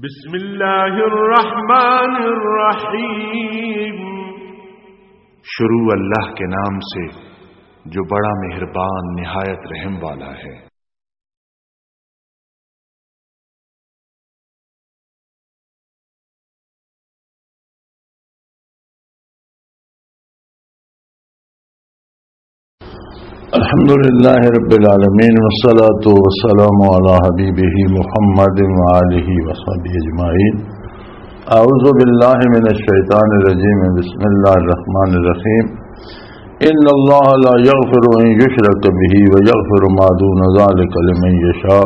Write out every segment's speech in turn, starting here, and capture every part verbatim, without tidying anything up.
بسم اللہ الرحمن الرحیم۔ شروع اللہ کے نام سے، جو بڑا مہربان، نہایت رحم والا ہے۔ الحمد لله رب العالمين، والصلاة والسلام على حبيبه محمد وآله وصحبه أجمعين. أعوذ بالله من الشيطان الرجيم. بسم الله الرحمن الرحيم. إن الله لا يغفر أن يشرك به ويغفر ما دون ذلك لمن يشاء،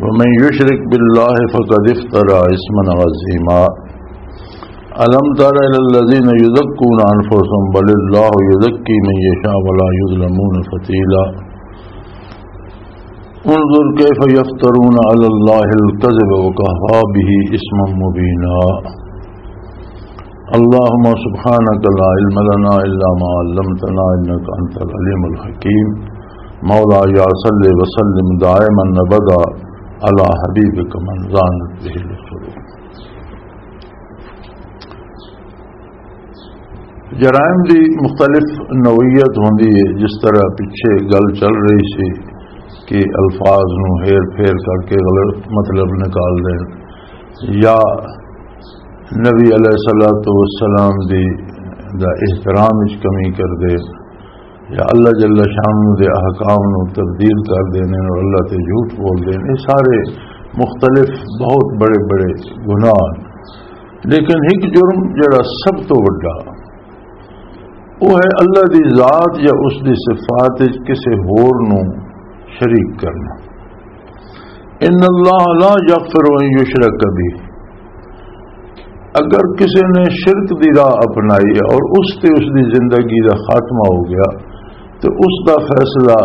ومن يشرك بالله فقد افترى إثما عظيما. ألم تر إلى الذين يزكون أنفسهم بل الله يزكي من يشاء ولا يظلمون فتيلا. انظر كيف يفترون على الله الكذب وكفى به إثما مبينا. اللهم سبحانك لا علم لنا إلا ما علمتنا إنك أنت العليم الحكيم. مولاي صل وسلم دائما أبدا على حبيبك من زانت به القلوب. جرائم دی مختلف نوعیت ہوندی ہے، جس طرح پچھے گل چل رہی سی کہ الفاظ نو ہیر پھیر کر کے غلط مطلب نکال دین، یا نبی علیہ الصلوۃ والسلام دی دا احترام وچ کمی کر دے، یا اللہ جل شانہ دے احکام نو تبدیل کر دینے اور اللہ تے جھوٹ بول دینے، یہ سارے مختلف بہت بڑے بڑے گناہ ہیں۔ لیکن ایک جرم جڑا سب تو وڈا، وہ ہے اللہ دی ذات یا اس دی صفات وچ کسے ہور نو شریک کرنا۔ ان اللہ لا یغفر ان یشرک بہ، اگر کسی نے شرک دی راہ اپنائی اور اس تے اس دی زندگی دا خاتمہ ہو گیا، تو اس دا فیصلہ،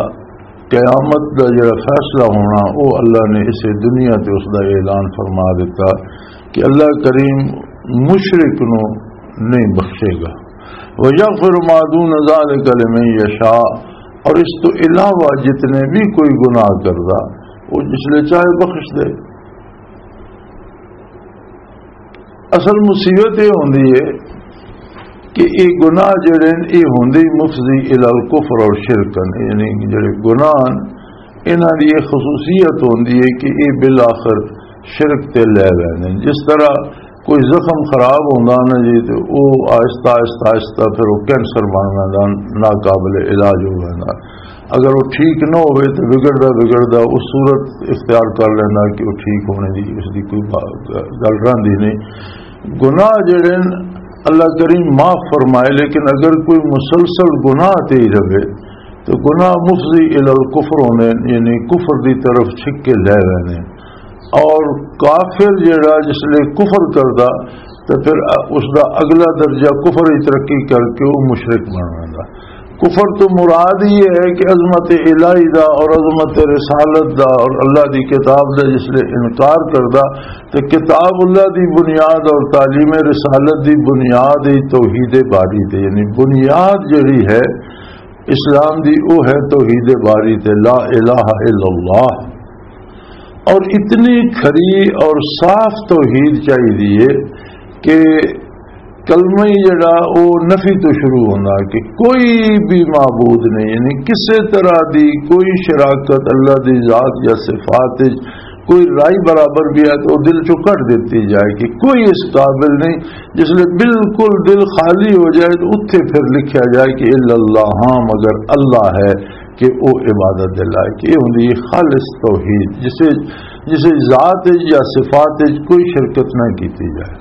قیامت دا جڑا فیصلہ ہونا، وہ اللہ نے اسے دنیا تے اس دا اعلان فرما دیتا کہ اللہ کریم مشرک نو نہیں بخشے گا۔ وَيَغْفِرُ مَا دُونَ ذَلِكَ لِمَن يَشَاءُ، اور اس تو علاوہ جتنے بھی کوئی گناہ کردا، وہ جس لے چاہے بخش دے۔ اصل مصیبت یہ ہوندی ہے کہ یہ گناہ جڑے نے، یہ ہوندے ہی مفضی الی الکفر اور شرکن، یعنی جڑے گناہ ہیں، انہاں دی یہ خصوصیت ہوندی ہے کہ یہ بالآخر شرک تے لے ویندے نے۔ جس طرح کوئی زخم خراب ہوندا نا جی، تے او آہستہ، آہستہ، آہستہ پھر او کینسر بن ویندا، ناقابل علاج ہو ویندا۔ اگر وہ ٹھیک نہ ہوئے تو بگڑدا بگڑدا اس صورت اختیار کر لینا کہ وہ ٹھیک ہونے دی اس دی کوئی با-، گل رہندی نہیں۔ گناہ جڑے نے اللہ کریم معاف فرمائے، لیکن اگر کوئی مسلسل گناہ تے ہی رہے تو گناہ مفضی الی الکفر ہونے، یعنی کفر دی طرف چھک کے لے رہنے۔ اور کافر جڑا جس لئے کفر کردا، تے پھر اس دا اگلا درجہ کفر ہی ترقی کر کے وہ مشرک بن ویندا۔ کفر تو مراد یہ ہے کہ عظمت الہی دا اور عظمت رسالت دا اور اللہ دی کتاب دا جس لئے انکار کردا، تے کتاب اللہ دی بنیاد اور تعلیم رسالت دی بنیاد ہی توحید باری تے، یعنی بنیاد جڑی ہے اسلام دی، وہ ہے توحید باری تے، لا الہ الا اللہ۔ اور اتنی کھری اور صاف توحید چاہیے کہ کلمہ ہی جڑا، وہ نفی تو شروع ہونا کہ کوئی بھی معبود نہیں، یعنی کسے طرح دی کوئی شراکت اللہ دی ذات یا صفات وچ کوئی رائی برابر بھی ہے تو وہ دل چوں کٹ دیتی جائے کہ کوئی اس قابل نہیں۔ جس لئے بالکل دل خالی ہو جائے تو اتھے پھر لکھیا جائے کہ الا اللہ، ہاں مگر اللہ ہے، کہ وہ عبادت دے لائق۔ یہ ہوندی ہے خالص توحید، جسے، جسے ذات وچ یا صفات وچ کوئی شرکت نہ کیتی جائے۔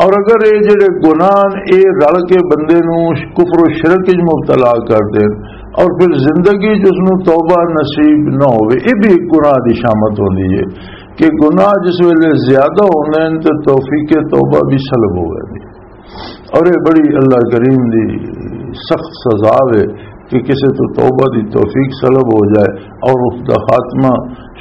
اور اگر یہ جڑے گناہ نے، یہ رل کے بندے نو کفر و شرک وچ مبتلا کر دین اور پھر زندگی وچ اس نو توبہ نصیب نہ ہوئے، یہ بھی ایک گناہ دی شامت ہوندی ہے کہ گناہ جس ویلے زیادہ ہوندے ہیں تو توفیق توبہ بھی سلب ہو گئی۔ اور یہ بڑی اللہ کریم دی سخت سزا ہے کہ کسے تو توبہ دی توفیق سلب ہو جائے اور اس دا خاتمہ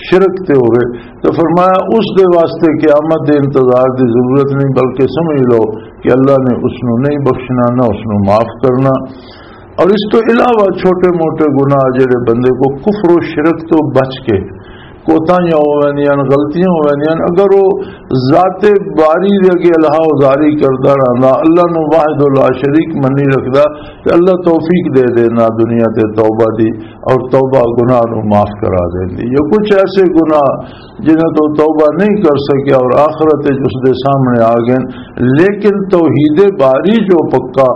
شرک تے ہوئے، تو فرمایا، اس دے واسطے قیامت دے انتظار دی ضرورت نہیں، بلکہ سمجھ لو کہ اللہ نے اس نو نہیں بخشنا، نہ اس نو معاف کرنا۔ اور اس تو علاوہ چھوٹے موٹے گناہ جڑے بندے کو کفر و شرک تو بچ کے کوتاہیاں ہو ویندیاں، غلطیاں ہو ویندیاں، اگر وہ ذات باری دے اگے الہا ازاری کردا رہندا، اللہ نو واحد لا شریک منی رکھدا، تے اللہ توفیق دے دینا دنیا تے توبہ دی، اور توبہ گناہ نو معاف کرا دیندی۔ یہ کچھ ایسے گناہ جنہاں تو توبہ نہیں کر سکیا اور آخرت وچ اس دے سامنے آ گئے، لیکن توحید باری جو پکا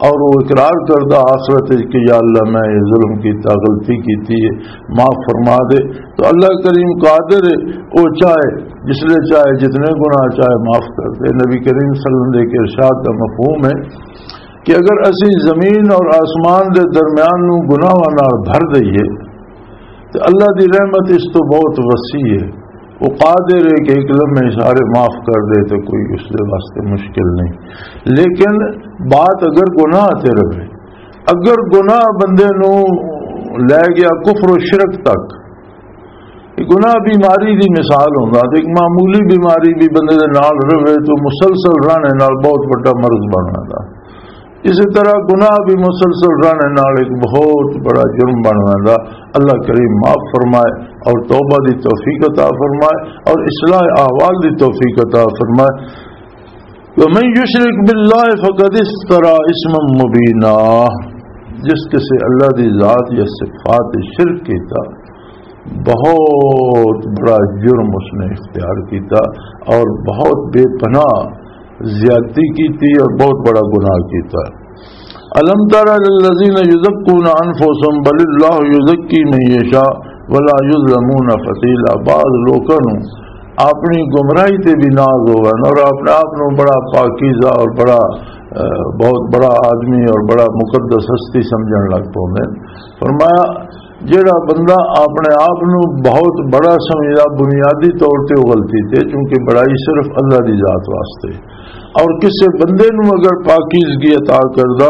اور وہ اقرار کردا آخرت وچ کہ یا اللہ، میں یہ ظلم کیتا، غلطی کیتی ہے، معاف فرما دے، تو اللہ کریم قادر ہے، وہ چاہے جس لے چاہے جتنے گناہ چاہے معاف کر دے۔ نبی کریم صلی اللہ علیہ وسلم دے ایک ارشاد کا مفہوم ہے کہ اگر اسی زمین اور آسمان دے درمیان نو گناہاں نال بھر دئیے، تو اللہ دی رحمت اس تو بہت وسیع ہے۔ وہ قادر ہے کہ ایک لمحے سارے معاف کر دے، تو کوئی اس دے واسطے مشکل نہیں۔ لیکن بات اگر گناہ تے رہے، اگر گناہ بندے نو لے گیا کفر و شرک تک، یہ گناہ بیماری دی مثال ہوندا، تے ایک معمولی بیماری بھی بندے دے نال رہے تو مسلسل رہنے نال بہت بڑا مرض بن جاندا۔ اسی طرح گناہ بھی مسلسل رہنے نال ایک بہت بڑا جرم بن جاندا۔ اللہ کریم معاف فرمائے اور توبہ دی توفیق عطا فرمائے اور اصلاح احوال دی توفیق عطا فرمائے۔ ومن یشرک باللہ فقد افترا اثما مبینا، جس کسے اللہ دی ذات یا صفات شرک کیتا، بہت بڑا جرم اس نے اختیار کیتا اور بہت بے پناہ زیادتی کیتی اور بہت بڑا گناہ کیتا۔ الم تر الی الذین یزکون انفسهم بل اللہ یزکی من یشاء ولا یظلمون فتیلا۔ بعض لوکاں نوں اپنی گمراہی تے بھی ناز ہووے اور اپنے آپ نوں بڑا پاکیزہ اور بڑا، اہ، بہت بڑا آدمی اور بڑا مقدس ہستی سمجھن لگ پوندے۔ فرمایا، جیڑا بندہ اپنے آپ نوں بہت بڑا سمجھدا، بنیادی طور تے او غلطی تے، کیونکہ بڑائی صرف اللہ دی ذات واسطے۔ اور کسے بندے نوں اگر پاکیزگی عطا کردا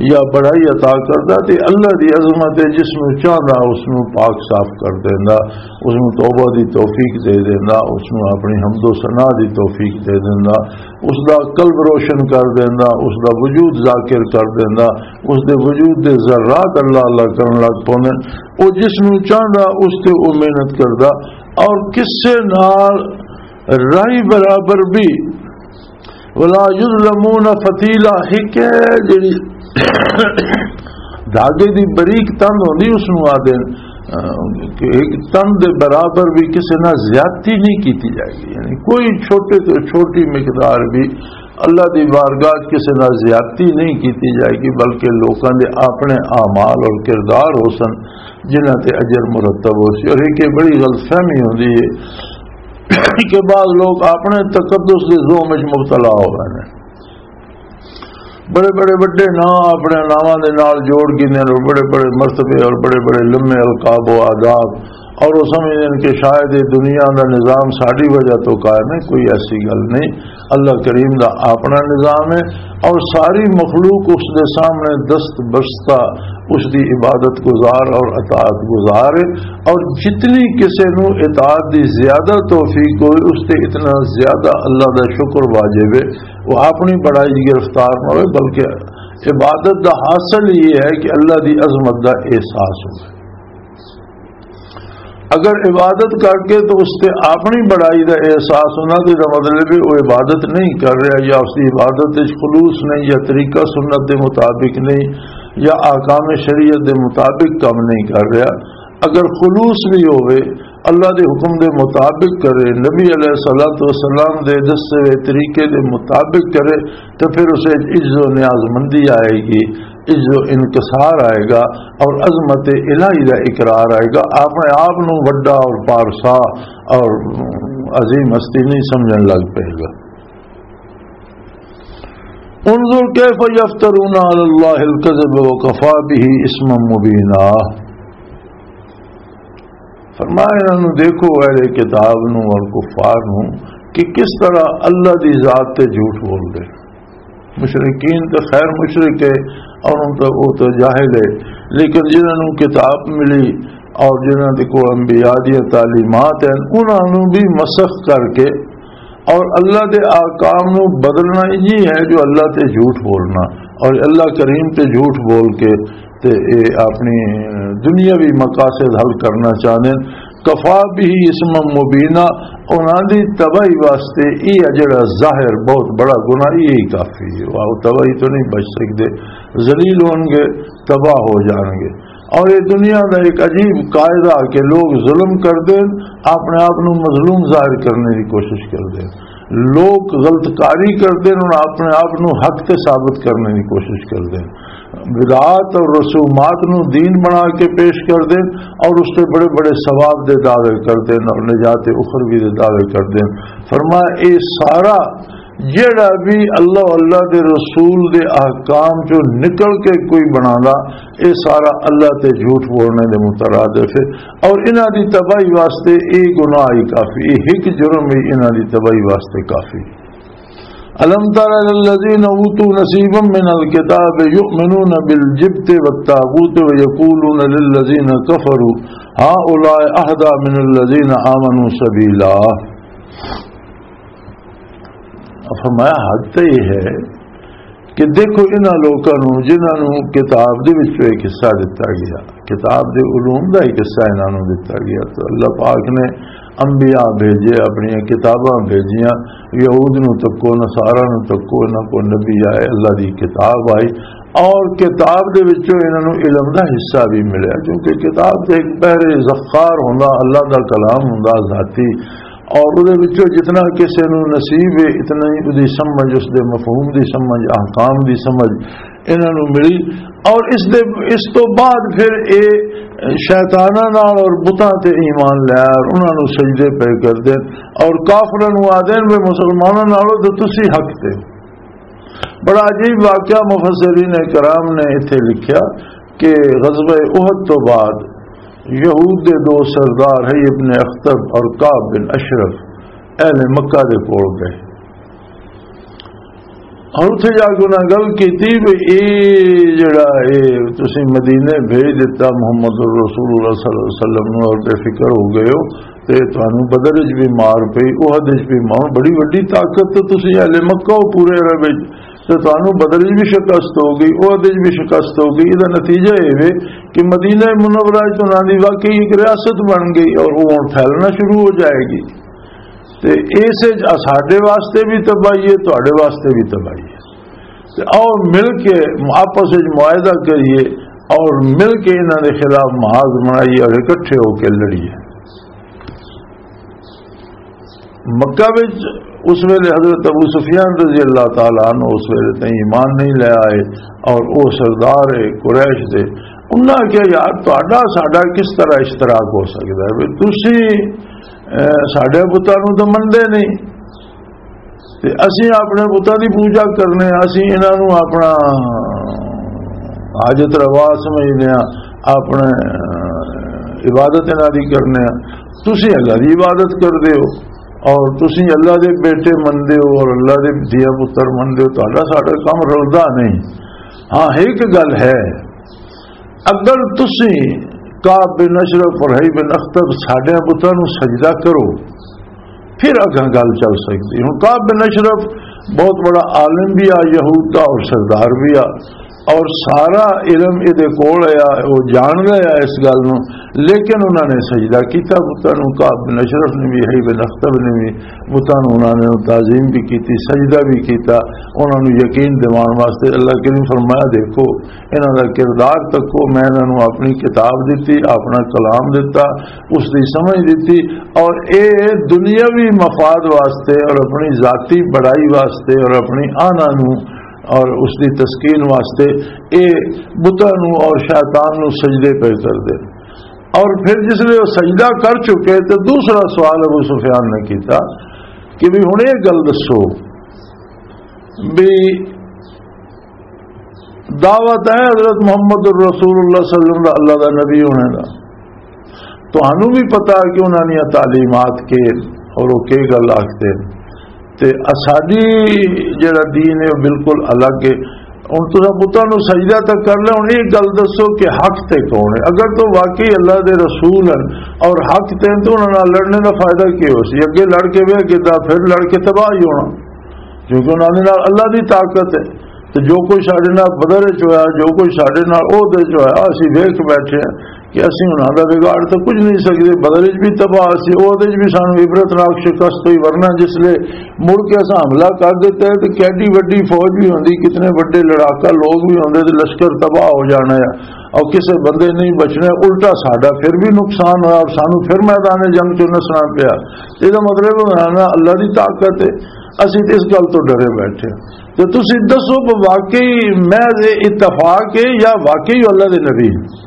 یا بڑائی عطا کردا، تے اللہ دی عظمت ہے، جس نوں چاہندا اس نوں پاک صاف کر دیندا، اس نوں توبہ دی توفیق دے دیندا، اس نوں اپنی حمد و ثنا دی توفیق دے دیندا، اس دا قلب روشن کر دیندا، اس دا وجود ذاکر کر دیندا، اس دے وجود دے ذرات اللہ اللہ کرن لگ پوندے۔ او جس نوں چاہندا اس تے او محنت کردا، اور کسے نال رائی برابر بھی ولا یظلمون فتیلا، ایک ہے جڑی دھاگے دی بریک تند ہوندی، اس نوں آدھے، اہ، کہ ایک تند دے برابر بھی کسے نال زیادتی نہیں کیتی جائے گی۔ یعنی کوئی چھوٹے تو چھوٹی مقدار بھی اللہ دی بارگاہ وچ کسے نال زیادتی نہیں کیتی جائے گی، بلکہ لوکاں دے اپنے اعمال اور کردار ہو سن، جنہاں تے اجر مرتب ہو سی۔ اور ایک یہ بڑی غلط فہمی ہوندی ہے کہ بعض لوگ اپنے تقدس دے زوم وچ مبتلا ہو رہے ہیں، بڑے بڑے وڈے نام اپنے ناماں دے نال جوڑ گھندے نے، اور بڑے بڑے مرتبے اور بڑے بڑے لمے القاب و آداب، اور وہ سمجھدے نے کہ شاید یہ دنیا دا نظام ساڈی وجہ تو قائم ہے۔ کوئی ایسی گل نہیں، اللہ کریم دا اپنا نظام ہے، اور ساری مخلوق اس دے سامنے دست بستہ، اس دی عبادت گزار اور اطاعت گزار ہے۔ اور جتنی کسے نو اطاعت دی زیادہ توفیق ہوئے، اس تے اتنا زیادہ اللہ دا شکر واجب ہے۔ وہ اپنی بڑائی گرفتار نہ ہوئے، بلکہ عبادت دا حاصل یہ ہے کہ اللہ دی عظمت دا احساس ہوئے۔ اگر عبادت کر کے تو اس تے اپنی بڑائی دا احساس ہونا، تو اس دا مطلب ہے وہ عبادت نہیں کر رہا، یا اس دی عبادت وچ خلوص نہیں، یا طریقہ سنت دے مطابق نہیں، یا احکام شریعت دے مطابق کم نہیں کر رہا۔ اگر خلوص بھی ہوئے، اللہ دے حکم دے مطابق کرے، نبی علیہ الصلوۃ والسلام دے دسے ہوئے طریقے دے مطابق کرے، تو پھر اسے عجز و نیاز مندی آئے گی، عجز و انکسار آئے گا، اور عظمت الہی دا اقرار آئے گا۔ اپنے آپ نو وڈا اور پارسا اور عظیم ہستی نہیں سمجھن لگ پے گا۔ انظر کیف یفترون علی اللہ الکذب وکفی بہ اثما مبینا۔ فرمایا، انہاں نوں دیکھو، اہل کتاب نوں اور کفار نوں، کہ کس طرح اللہ دی ذات تے جھوٹ بول دے۔ مشرکین تے خیر مشرک ہے، اور ان تو، وہ تو جاہل ہے، لیکن جنہاں نوں کتاب ملی اور جنہاں دے کول انبیاء دی تعلیمات ہیں، انہاں نوں بھی مسخ کر کے اور اللہ دے احکام نوں بدلنا یہ ہے جو اللہ تے جھوٹ بولنا، اور اللہ کریم تے جھوٹ بول کے تے اے اپنی دنیاوی مقاصد حل کرنا چاہندے ہیں۔ کفا به اسما مبینا، انہاں دی تباہی واسطے یہ جڑا ظاہر بہت بڑا گناہ، یہی کافی ہے۔ وہ تباہی تو نہیں بچ سکتے، ذلیل ہون گے، تباہ ہو جان گے۔ اور یہ دنیا کا ایک عجیب قاعدہ کہ لوگ ظلم کر دیں، اپنے آپ نو مظلوم ظاہر کرنے کی کوشش کر دیں۔ لوگ غلط کاری کردے نے اور اپنے آپ نو حق تے ثابت کرنے دی کوشش کردے نے۔ بدعات اور رسومات نو دین بنا کے پیش کردے نے اور اس تے بڑے بڑے ثواب دے دعوے کردے نے اور نجات اخروی دے دعوے کردے نے۔ فرمایا، اے سارا جڑا بھی اللہ، اللہ دے رسول دے احکام چوں نکل کے کوئی بنانا، اے سارا اللہ تے جھوٹ بولنے دے مترادف ہے۔ اور انہاں دی تباہی واسطے اے گناہ ہی کافی، اے ایک جرم ہی انہاں دی تباہی واسطے کافی۔ الم تر الی الذین اوتوا نصیبا من الکتاب یؤمنون بالجبت والطاغوت ویقولون للذین کفروا هؤلاء اهدی من الذین آمنوا سبیلا۔ فرمایا، حد تو یہ ہے کہ دیکھو انہاں لوکاں نوں جنہاں نوں کتاب دے وچوں ایک حصہ دتا گیا، کتاب دے علوم دا ایک حصہ انہاں نوں دتا گیا۔ تو اللہ پاک نے انبیاء بھیجے، اپنی کتاباں بھیجیاں، یہود نوں تکو، نصارا نوں تکو، انہاں کو نبی آئے، اللہ دی کتاب آئی، اور کتاب دے وچوں انہاں نوں علم دا حصہ بھی ملیا، کیونکہ کتاب تے ایک بحر ذخار ہوندا، اللہ دا کلام ہوندا ذاتی، اور اودے وچوں جتنا کسے نوں نصیب ہے، اتنا ہی اودی سمجھ، اس دے مفہوم دی سمجھ، احکام دی سمجھ انہاں نوں ملی۔ اور اس دے، اس تو بعد پھر اے شیطاناں نال اور بتاں تے ایمان لے اور انہاں نوں سجدے پے کر دین اور کافراں نوں آدین، "وے مسلماناں نالوں تے تسی حق تے۔" بڑا عجیب واقعہ مفسرین کرام نے اتھے لکھیا کہ غزوہ احد تو بعد یہود دے دو سردار ہے ابن اخطب اور کعب بن اشرف اہل مکہ دے کول گئے اور اتھے جا کے انہاں گل کیتی بھی اے جڑا اے تسی مدینے بھیج دتا محمد رسول اللہ صلی اللہ علیہ وسلم نوں اور بے فکر ہو گئے ہو، تے تانوں بدر وچ بھی مار پئی، احد وچ بھی مار، بڑی وڈی طاقت تے تسی اہل مکہ ہو پورے عرب وچ، تے تانوں بدر وچ بھی شکست ہو گئی، احد وچ بھی شکست ہو گئی۔ ادا نتیجہ اے وے کہ مدینہ منورہ وچ انہاں دی واقعی ایک ریاست بن گئی اور وہ ہن پھیلنا شروع ہو جائے گی۔ تے اس وچ ساڈے واسطے بھی تباہی ہے، تہاڈے واسطے بھی تباہی ہے۔ تے آؤ مل کے آپس وچ معاہدہ کریے اور مل کے انہاں دے خلاف محاذ بنائیے اور اکٹھے ہو کے لڑیے۔ مکہ وچ اس ویلے حضرت ابو سفیان رضی اللہ تعالیٰ عنہ اس ویلے تائیں ایمان نہیں لے آئے اور وہ سردار ہے قریش دے۔ انہاں کہا، "یار، تہاڈا ساڈا کس طرح اشتراک ہو سکدا ہے؟ بھی تسی، اے، ساڈے بتاں نوں تاں منندے نہیں۔" تے اسی اپنے بتاں دی پوجا کرنے آں، اسی انہاں نوں اپنا حاجت روا سمجھنے آں، اپنے عبادت انہاں دی کرنے آں۔ تسی اللہ دی عبادت کردے ہو اور تسی اللہ دے بیٹے مندے ہو اور اللہ دے دھیاں پتر مندے ہو، تہاڈا ساڈا کم رلدا نہیں۔ ہاں، ایک گل ہے، اگر تسی کعب بن اشرف اور حی بن اخطب ساڈے بتاں نوں سجدہ کرو، پھر اگاں گل چل سکدی۔ ہن کعب بن اشرف بہت بڑا عالم بھی آ، یہود دا، اور سردار بھی آ، اور سارا علم اے دے کول آ، وہ جان رہا آ اس گل نوں، لیکن انہاں نے سجدہ کیتا بتاں نوں۔ کعب بن اشرف نے بھی، حی بن اخطب نے بھی بتاں نوں، انہاں نے تعظیم بھی کیتی، سجدہ بھی کیتا، انہاں نوں یقین دیوان واسطے۔ اللہ کریم فرمایا، دیکھو، انہاں دا کردار تکو، میں انہاں نوں اپنی کتاب دتی، اپنا کلام دتا، اس دی سمجھ دتی، اور اے دنیاوی مفاد واسطے اور اپنی ذاتی بڑائی واسطے اور اپنی آنا نوں اور اس دی تسکین واسطے اے بتاں نوں اور شیطان نوں سجدے پہ کر دے۔ اور پھر جس لئے وہ سجدہ کر چکے تو دوسرا سوال ابو سفیان نے کیتا کہ بھی ہن یہ گل دسو بھی دعویٰ ہے حضرت محمد الرسول اللہ صلی اللہ علیہ وسلم دا، اللہ دا نبی ہونے دا۔ تانوں بھی پتہ ہے کہ انہاں دیاں تعلیمات کے اور وہ کی گل آکھدے نے۔ تے اساڈی جڑا دین ہے، وہ بالکل الگ ہے۔ ہن تساں بتاں نوں سجدہ تک کر لیا، ہن یہ گل دسو کہ حق تے کون ہے؟ اگر تو واقعی اللہ دے رسول ہیں اور حق تے ہیں، تو انہاں نال لڑنے دا فائدہ کی ہو سی؟ اگے لڑ کے وہ کیتا، پھر لڑ کے تباہ ہی ہونا۔ کیونکہ انہاں دے نال اللہ دی طاقت ہے۔ تے جو کچھ ساڈے نال بدر وچ ہویا، جو کچھ ساڈے نال عہد وچ ہویا، اسی ویکھ بیٹھے ہیں۔ کہ اسی انہاں دا بگاڑ تے کچھ نہیں سکدے۔ بدر وچ بھی تباہ سی، احد وچ بھی سانوں عبرتناک شکست ہوئی، ورنہ جس لے مڑ کے اساں حملہ کر دتا ہے تے کیڈی وڈی فوج بھی ہوندی، کتنے وڈے لڑاکا لوگ بھی ہوندے تے لشکر تباہ ہو جانا ہے اور کسے بندے نہیں بچنا، الٹا ساڈا پھر بھی نقصان ہویا اور سانوں پھر میدان جنگ چوں نسنا پیا۔ یہ مطلب ہے نا، اللہ دی طاقت ہے، اسی تے اس گل تو ڈرے بیٹھے۔ تے تسی دسو کہ واقعی محض اتفاق ہے یا واقعی اللہ دے نبی؟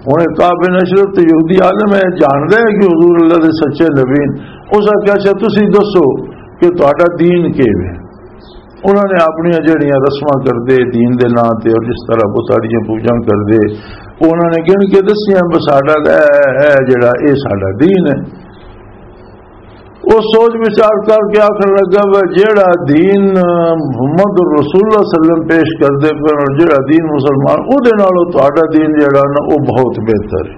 ہن کعب بن اشرف تے یہودی عالم ہے، جاندا ہے کہ حضور اللہ دے سچے نبی نے۔ اس آکھیا، "اچھا، تسی دسو کہ تہاڈا دین کی ہے؟" انہاں نے اپنیاں جڑیاں رسماں کردے دین دے ناں تے اور جس طرح بتاڑیاں پوجاں کردے، انہاں نے گن کے دسیاں، "بس ساڈا تاں اے ہے، جڑا اے ساڈا دین ہے۔" وہ سوچ وچار کر کے آخر لگا، "وہ جیڑا دین محمد رسول اللہ صلی اللہ علیہ وسلم پیش کردے پے اور جیڑا دین مسلمان، او دے نالوں تہاڈا دین جیڑا نا، او بہت بہتر ہے۔"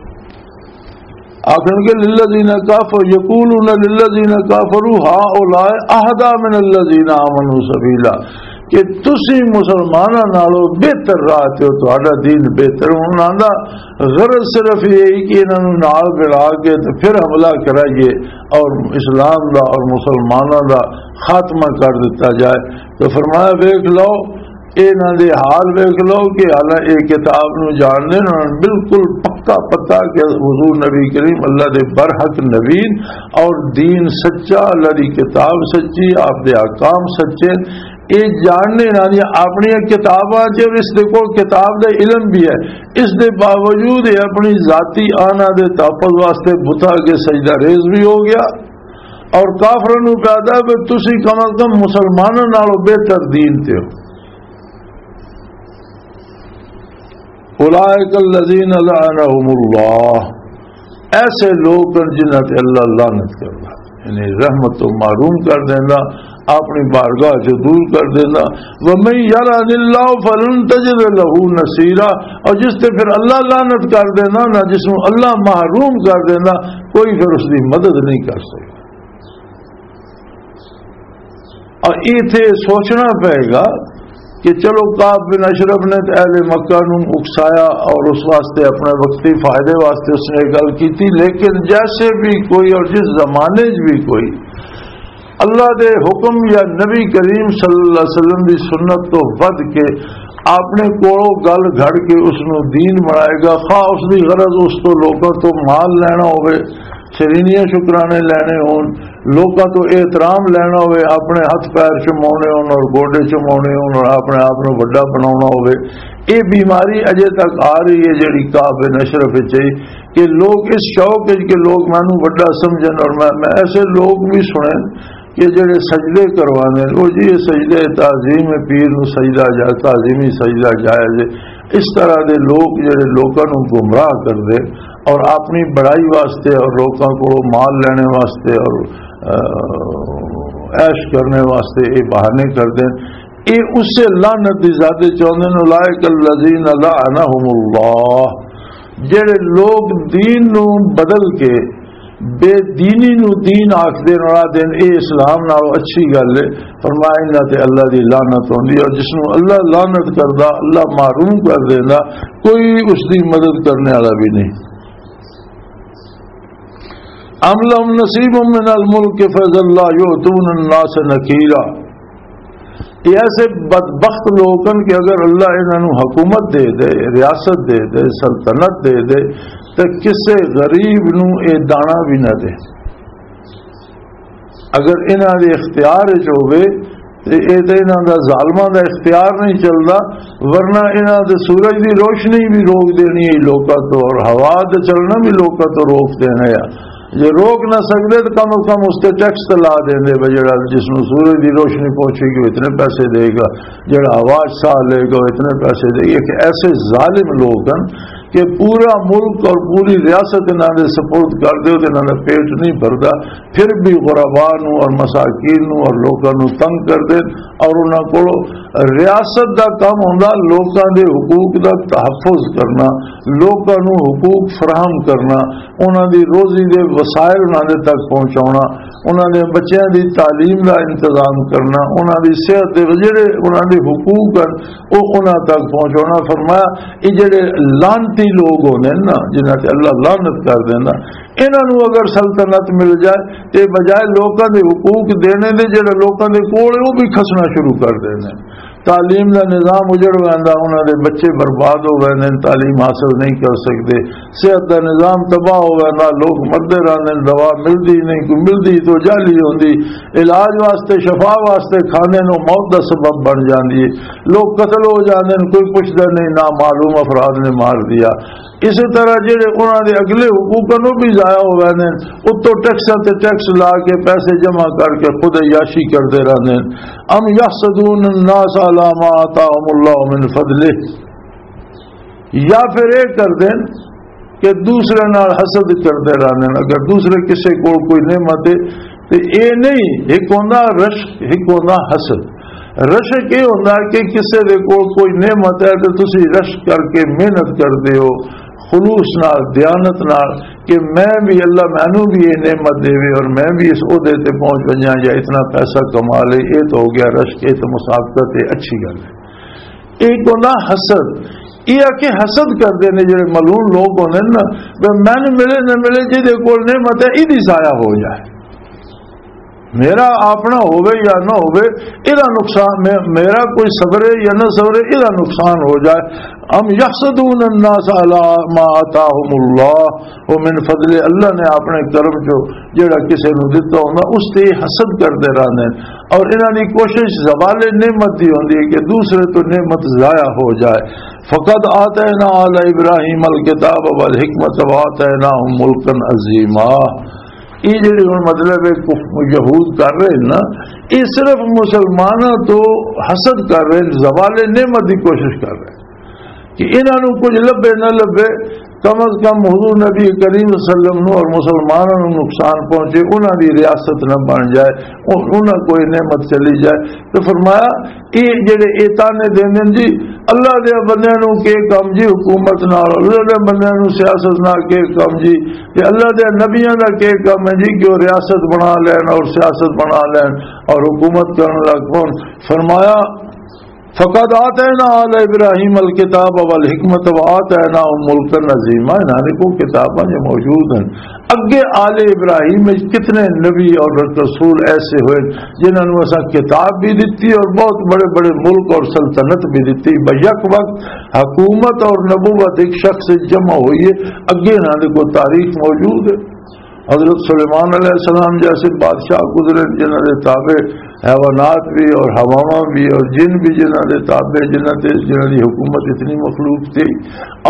آخر کے، "للذین کافر، یقولون للذین کافروا هؤلاء اهدی من الذین آمنوا سبیلا۔" کہ تسی مسلماناں نالوں بہتر راہ تے ہو، تہاڈا دین بہتر۔ انہاں دا غرض صرف یہ ہی کہ انہاں نوں نال ملا کے تے پھر حملہ کرائیے اور اسلام دا اور مسلماناں دا خاتمہ کر دتا جائے۔ تو فرمایا، ویکھ لو، انہاں دے حال ویکھ لو کہ حالانکہ یہ کتاب نوں جاننے، انہاں نوں بالکل پکا پتا کہ حضور نبی کریم اللہ دے برحق نبی اور دین سچا، اللہ دی کتاب سچی، آپ دے احکام سچے۔ یہ جاننے نال اپنی کتاباں چ، اور اس دے کول کتاب دا علم بھی ہے، اس دے باوجود یہ اپنی ذاتی آنا دے تحفظ واسطے بتاں کے سجدہ ریز بھی ہو گیا۔ اور کافراں نوں کہدا ہے کہ تسی کم از کم مسلماناں نالوں بہتر دین تے ہو۔ اولئک الذین لعنہم اللہ، ایسے لوگ ہیں جنہاں تے اللہ لعنت کردا، یعنی رحمت تو محروم کر دیندا، اپنی بارگاہ سے دور کر دیندا۔ ومن یلعن اللہ فلن تجد لہ نصیرا، اور جس تے پھر اللہ لعنت کر دیندا نا، جس نوں اللہ محروم کر دیندا، کوئی پھر اس دی مدد نہیں کر سکدا۔ اور ایتھے سوچنا پئے گا کہ چلو، کعب بن اشرف نے تے اہل مکہ نوں اکسایا اور اس واسطے، اپنے وقتی فائدے واسطے اس نے یہ گل کی تھی، لیکن جیسے بھی کوئی اور جس زمانے 'چ بھی کوئی اللہ دے حکم یا نبی کریم صلی اللہ علیہ وسلم دی سنت تو ودھ کے اپنے کولوں گل گھڑ کے اس نوں دین بنائے گا، خواہ اس دی غرض اس تو لوکاں تو مال لینا ہوئے، شرینیاں شکرانے لینے ہون، لوکاں تو احترام لینا ہوئے، اپنے ہتھ پیر چماؤنے ہون اور گوڈے چماؤنے ہون اور اپنے آپ نوں وڈا بناؤنا ہوئے۔ یہ بیماری اجے تک آ رہی ہے، جڑی کعب بن اشرف وچ آئی کہ لوگ اس شوق وچ کہ لوگ مینوں وڈا سمجھن، اور میں، میں ایسے لوگ بھی سنے کہ جڑے سجدے کروانے، وہ جی یہ سجدے تعظیم پیر نوں سجدہ جائز، تعظیمی سجدہ جائز ہے۔ اس طرح دے لوگ جڑے لوکاں نوں گمراہ کردے اور اپنی بڑائی واسطے اور لوکاں کولوں مال لینے واسطے اور، آ، عیش کرنے واسطے یہ بہانے کردے، یہ اسے لعنت دی زیادہ چاہندے نے، اولئک الذین لعنہم اللہ، جڑے لوگ دین نوں بدل کے بے دینی نو دین آکھدے نال آدھے نے، "اے اسلام نال اچھی گل ہے۔" فرمایا، "انہاں تے اللہ دی لعنت ہوندی ہے۔" اور جس نو اللہ لعنت کردا، اللہ محروم کر دیندا، کوئی اس دی مدد کرنے والا بھی نہیں۔ "ام لهم نصیب من الملک فاذا لا یؤتون الناس نقیرا۔" یہ ایسے بدبخت لوگ ہیں کہ اگر اللہ انہاں نوں حکومت دے دے، ریاست دے دے، سلطنت دے دے، تے کسے غریب نوں اے دانا بھی نہ دے۔ اگر انہاں دے اختیار وچ ہووے تے اے تے انہاں دا ظالماں دا اختیار نہیں چلدا، ورنہ انہاں دے سورج دی روشنی بھی روک دینی ہے لوکاں تو، اور ہوا دے چلنا بھی لوکاں تو روک دینا ہے۔ جے روک نہ سکدے تو کم از کم اس تے ٹیکس تے لا دیندے، بھئی جڑا جس نوں سورج دی روشنی پہنچے گی، وہ اتنے پیسے دے گا، جڑا ہوا 'چ ساہ لے گا، وہ اتنے پیسے دے گا۔ ایک ایسے ظالم لوگ ہیں کہ پورا ملک اور پوری ریاست انہاں دے سپرد کر دیو تے انہاں دا پیٹ نہیں بھردا، پھر بھی غربا نوں اور مساکین نوں اور لوکاں نوں تنگ کر دے۔ اور انہاں کولوں ریاست دا کم ہوندا لوکاں دے حقوق دا تحفظ کرنا، لوکاں نوں حقوق فراہم کرنا، انہاں دی روزی دے وسائل انہاں دے تک پہنچاونا، انہاں دے بچیاں دی تعلیم دا انتظام کرنا، انہاں دی صحت دے جڑے انہاں دے حقوق ہیں، او انہاں تک پہنچانا۔ فرمایا، یہ جڑے لعنتی لوگ ہوندے نے نا، جنہاں تے اللہ لعنت کر دیندا، انہاں نوں اگر سلطنت مل جائے تے بجائے لوکاں دے حقوق دینے دے، جڑے لوکاں دے کول او بھی کھسنا شروع کر دیندے۔ تعلیم دا نظام اجڑ ویندا، انہاں دے بچے برباد ہو ویندے نے، تعلیم حاصل نہیں کر سکدے۔ صحت دا نظام تباہ ہو ویندا، لوگ مردے رہندے نے، دوا ملدی نہیں، کوئی ملدی تو جعلی ہوندی، علاج واسطے، شفا واسطے کھاندے نوں موت دا سبب بن جاندی ہے۔ لوگ قتل ہو جاندے نے، کوئی پوچھدا نہیں، نامعلوم افراد نے مار دیا۔ اسی طرح جڑے انہاں دے اگلے حقوق نوں بھی ضائع ہو ویندے نے، اتوں ٹیکساں تے ٹیکس لا کے پیسے جمع کر کے خود عیاشی کردے رہندے نے۔ ام یحسدون الناس علی ما آتاهم اللہ من فضلہ، یا پھر یہ کر دین کہ دوسرے نال حسد کردے رہندے نے۔ اگر دوسرے کسے کول کوئی نعمت ہے تے اے نہیں، ایک ہوندا رشک، ایک ہوندا حسد۔ رشک یہ ہوندا کہ کسے دے کول کوئی نعمت ہے تے تسی رشک کر کے محنت کردے ہو، خلوص نال، دیانت نال، کہ میں بھی، اللہ مینوں بھی یہ نعمت دے اور میں بھی اس عہدے تے پہنچ ونجاں یا اتنا پیسہ کما لے۔ یہ تو ہو گیا رشک، یہ تو مسابقت ہے، اچھی گل ہے۔ ایک ہوندا حسد، یہ آ کہ حسد کردے نے جڑے ملعون لوگ ہوندے نے نا، بھی مینوں ملے نہ ملے، جہدے کول نعمت ہے، ایدی ضائع ہو جائے، میرا اپنا ہووے یا نہ ہووے، ایدا نقصان، مے-، میرا کوئی صبر ہے یا نہ صبر ہے، ایدا نقصان ہو جائے۔ ام یحسدون الناس علی ما آتاهم اللہ ومن فضل، اللہ نے اپنے کرم چو جڑا کسے نوں دتا ہوندا، اس تے حسد کردے رہندے نے۔ اور انہاں دی کوشش زوال نعمت دی ہوندی ہے کہ دوسرے تو نعمت ضائع ہو جائے۔ فقد آتینا آل ابراہیم الکتاب والحکمت وآتیناہم ملکا عظیما۔ یہ جڑے ہن مطلب ہے کف-، یہود کر رہے ہیں نا، یہ صرف مسلمانوں تو حسد کر رہے ہیں، زوال نعمت دی کوشش کر رہے ہیں کہ انہاں نوں کچھ لبھے نہ لبھے، کم از کم حضور نبی کریم صلی اللہ علیہ وسلم نوں اور مسلمانوں نوں نقصان پہنچے، انہاں دی ریاست نہ بن جائے، ان-، انہاں کوئی نعمت چلی جائے۔ تو فرمایا، یہ جڑے اے تانے دیندے نے جی، اللہ دے بندیاں نوں کے کم جی حکومت نال، اللہ دے بندیاں نوں سیاست نال کے کم جی، تے اللہ دے نبیاں دا کے کم ہے جی کہ وہ ریاست بنا لین اور سیاست بنا لین اور حکومت کرن لگ پون۔ فرمایا، فقد آتینا آل ابراہیم الکتاب والحکمت وآتیناہم ملکا عظیما، انہاں نے کو کتاباں جو موجود ہیں۔ اگے آل ابراہیم وچ کتنے نبی اور رسول ایسے ہوئے جنہاں نوں اساں کتاب بھی دتی اور بہت بڑے بڑے ملک اور سلطنت بھی دتی۔ بیک وقت حکومت اور نبوت ایک شخص وچ جمع ہوئی ہے، اگے انہاں دے کو تاریخ موجود ہے۔ حضرت سلیمان علیہ السلام جیسے بادشاہ گزرے جنہاں دے تابع حیوانات بھی اور ہواواں بھی اور جن بھی جنہاں دے تابع، جنہاں تے، جنہاں دی حکومت اتنی مخلوق تھی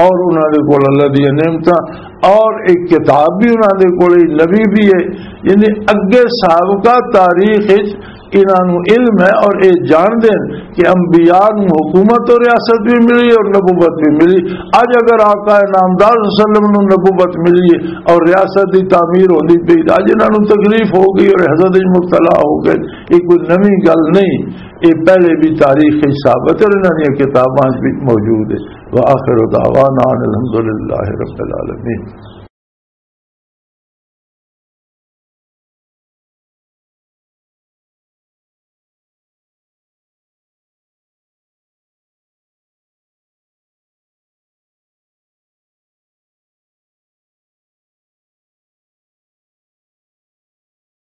اور انہاں دے کول اللہ دی نعمتاں اور ایک کتاب بھی انہاں دے کول، نبی بھی ہے۔ یعنی اگے سابقہ تاریخ وچ انہاں نوں علم ہے اور اے جان دین کہ انبیاء نوں حکومت اور ریاست بھی ملی اور نبوت بھی ملی۔ اج اگر آقا نامدار صلی اللہ علیہ وسلم نوں نبوت ملی ہے اور ریاست دی تعمیر ہوندی پئی، اج انہاں نوں تکلیف ہو گئی اور حسد وچ مبتلا ہو گئے، یہ کوئی نویں گل نہیں، یہ پہلے بھی تاریخ وچ ثابت ہے اور انہاں دی کتاباں وچ بھی موجود ہے۔ وآخر دعوانا ان الحمدللہ رب العالمین۔